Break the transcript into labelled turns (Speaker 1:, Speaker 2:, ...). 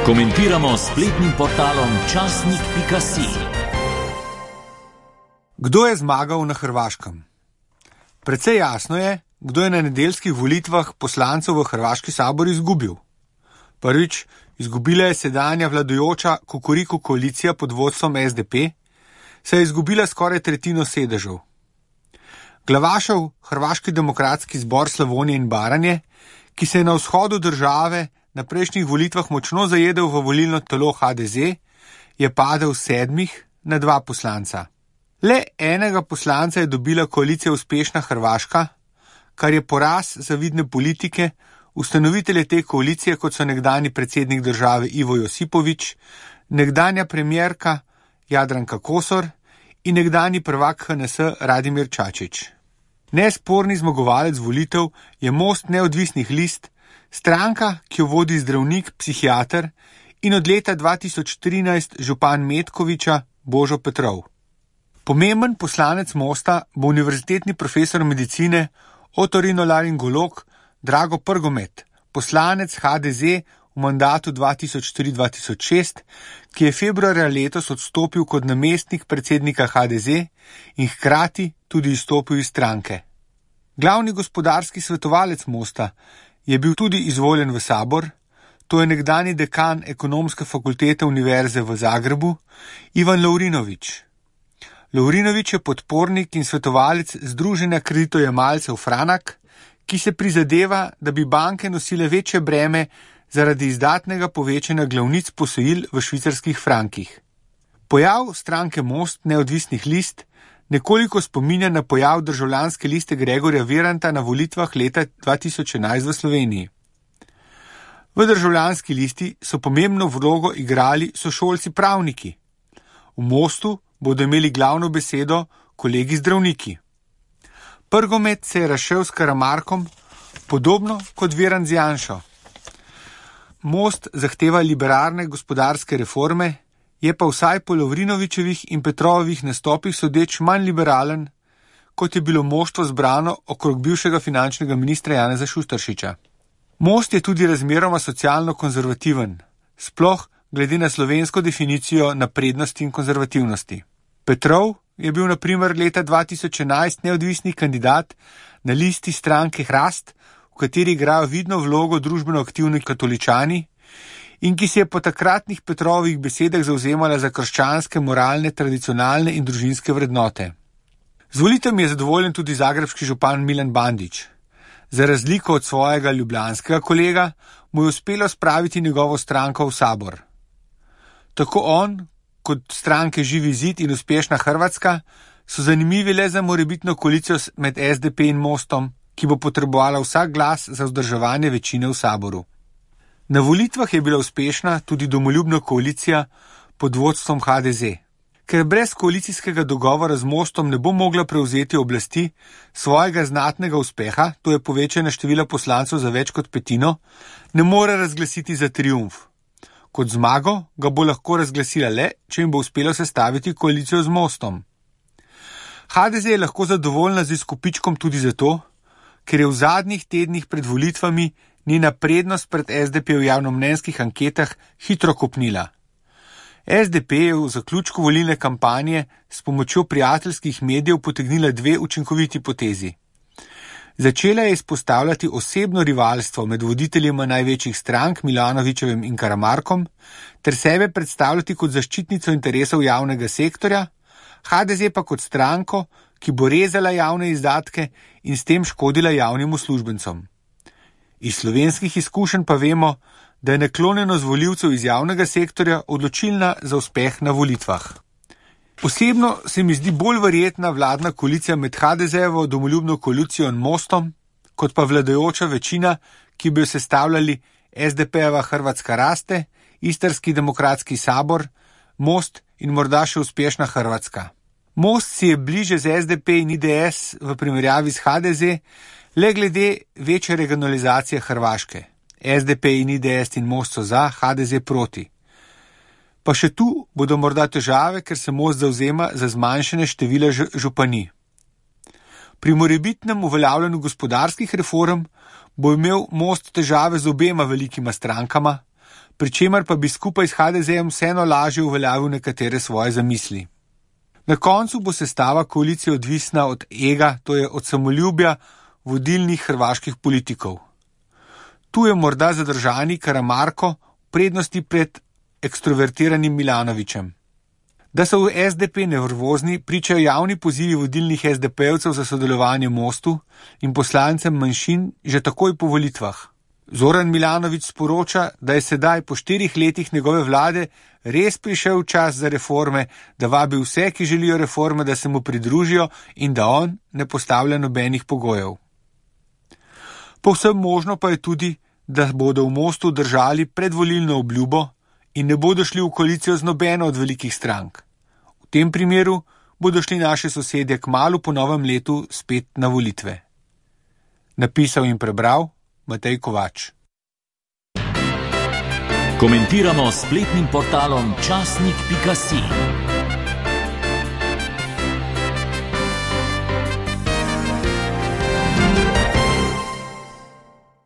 Speaker 1: Komentiramo s spletnim portalom časnik.si.
Speaker 2: Kdo je zmagal na Hrvaškem? Precej jasno je, kdo je na nedeljskih volitvah poslancev v Hrvaški sabor izgubil. Prvič, izgubila je sedanja vladajoča Kukuriku koalicija pod vodstvom SDP, saj je izgubila skoraj tretjino sedežev. Glavašev Hrvaški demokratski zbor Slavonije in Baranje, ki se je na vzhodu države na prejšnjih volitvah močno zajedel v volilno telo HDZ, je padel s 7 na 2 poslanca. Le enega poslanca je dobila koalicija Uspešna Hrvaška, kar je poraz zavidne politike, ustanovitelje te koalicije, kot so nekdanji predsednik države Ivo Josipović, nekdanja premijerka Jadranka Kosor in nekdanji prvak HNS Radimir Čačić. Nesporni zmagovalec volitev je Most neodvisnih list, stranka, ki jo vodi zdravnik, psihiater in od leta 2013 župan Metkovića Božo Petrov. Pomemben poslanec Mosta bo univerzitetni profesor medicine, otorinolaringolog Drago Prgomet, poslanec HDZ v mandatu 2003-2006, ki je februarja letos odstopil kot namestnik predsednika HDZ in hkrati tudi izstopil iz stranke. Glavni gospodarski svetovalec Mosta je bil tudi izvoljen v sabor, to je nekdani dekan ekonomske fakultete Univerze v Zagrebu, Ivan Lovrinović. Lovrinović je podpornik in svetovalec Združenja kreditojemalcev Franak, ki se prizadeva, da bi banke nosile večje breme zaradi izdatnega povečanja glavnic posojil v švicarskih frankih. Pojav stranke Most neodvisnih list nekoliko spominja na pojav državljanske liste Gregorja Viranta na volitvah leta 2011 v Sloveniji. V državljanski listi so pomembno vlogo igrali sošolci pravniki. V Mostu bodo imeli glavno besedo kolegi zdravniki. Prgomet se je razšel s Karamarkom, podobno kot Virant z Janšo. Most zahteva liberalne gospodarske reforme, je pa vsaj po Lovrinovićevih in Petrovih nastopih sodeč manj liberalen, kot je bilo moštvo zbrano okrog bivšega finančnega ministra Janeza Šuštaršiča. Most je tudi razmeroma socialno konzervativen, sploh glede na slovensko definicijo naprednosti in konzervativnosti. Petrov je bil na primer leta 2011 neodvisni kandidat na listi stranke Hrast, v kateri igrajo vidno vlogo družbeno aktivni katoličani in ki se je po takratnih Petrovih besedah zavzemala za krščanske, moralne, tradicionalne in družinske vrednote. Z volitvami je zadovoljen tudi zagrebški župan Milan Bandić. Za razliko od svojega ljubljanskega kolega mu je uspelo spraviti njegovo stranko v sabor. Tako on, kot stranke Živi zid in Uspešna Hrvatska, so zanimivi le za morebitno koalicijo med SDP in Mostom, ki bo potrebovala vsak glas za vzdrževanje večine v saboru. Na volitvah je bila uspešna tudi domoljubna koalicija pod vodstvom HDZ. Ker brez koalicijskega dogovora z Mostom ne bo mogla prevzeti oblasti, svojega znatnega uspeha, to je povečanje števila poslancev za več kot petino, ne more razglasiti za triumf. Kot zmago ga bo lahko razglasila le, če jim bo uspelo sestaviti koalicijo z Mostom. HDZ je lahko zadovoljna z izkupičkom tudi zato, ker je v zadnjih tednih pred volitvami njena prednost pred SDP v javnomnenjskih anketah hitro kopnila. SDP je v zaključku volilne kampanje s pomočjo prijateljskih medijev potegnila 2 učinkoviti potezi. Začela je izpostavljati osebno rivalstvo med voditeljima največjih strank Milanovićevim in Karamarkom ter sebe predstavljati kot zaščitnico interesov javnega sektorja, HDZ pa kot stranko, ki bo rezala javne izdatke in s tem škodila javnim uslužbencom. Iz slovenskih izkušenj pa vemo, da je naklonjenost volivcev iz javnega sektorja odločilna za uspeh na volitvah. Osebno se mi zdi bolj verjetna vladna koalicija med HDZ-evo domoljubno koalicijo in Mostom, kot pa vladajoča večina, ki bi jo sestavljali SDP-eva Hrvatska raste, Istarski demokratski sabor, Most in morda še Uspešna Hrvatska. Most si je bliže z SDP in IDS v primerjavi s HDZ, le glede večje regionalizacije Hrvaške. SDP in IDS in Most so za, HDZ proti. Pa še tu bodo morda težave, ker se Most zavzema za zmanjšanje števila županij. Pri morebitnem uveljavljanju gospodarskih reform bo imel Most težave z obema velikima strankama, pri čemer pa bi skupaj s HDZ-jem vseeno lažje uveljavil nekatere svoje zamisli. Na koncu bo sestava koalicije odvisna od ega, to je od samoljubja vodilnih hrvaških politikov. Tu je morda zadržani Karamarko v prednosti pred ekstrovertiranim Milanovićem. Da so v SDP nervozni, pričajo javni pozivi vodilnih SDP-evcev za sodelovanje v Mostu in poslancem manjšin že takoj po volitvah. Zoran Milanović sporoča, da je sedaj po 4 letih njegove vlade res prišel čas za reforme, da vabi vse, ki želijo reforme, da se mu pridružijo in da on ne postavlja nobenih pogojev. Povsem možno pa je tudi, da bodo v Mostu držali predvolilno obljubo in ne bodo šli v koalicijo z nobeno od velikih strank. V tem primeru bodo šli naši sosedje kmalu po novem letu spet na volitve. Napisal in prebral Matej Kovač.
Speaker 1: Komentiramo s spletnim portalom časnik.si.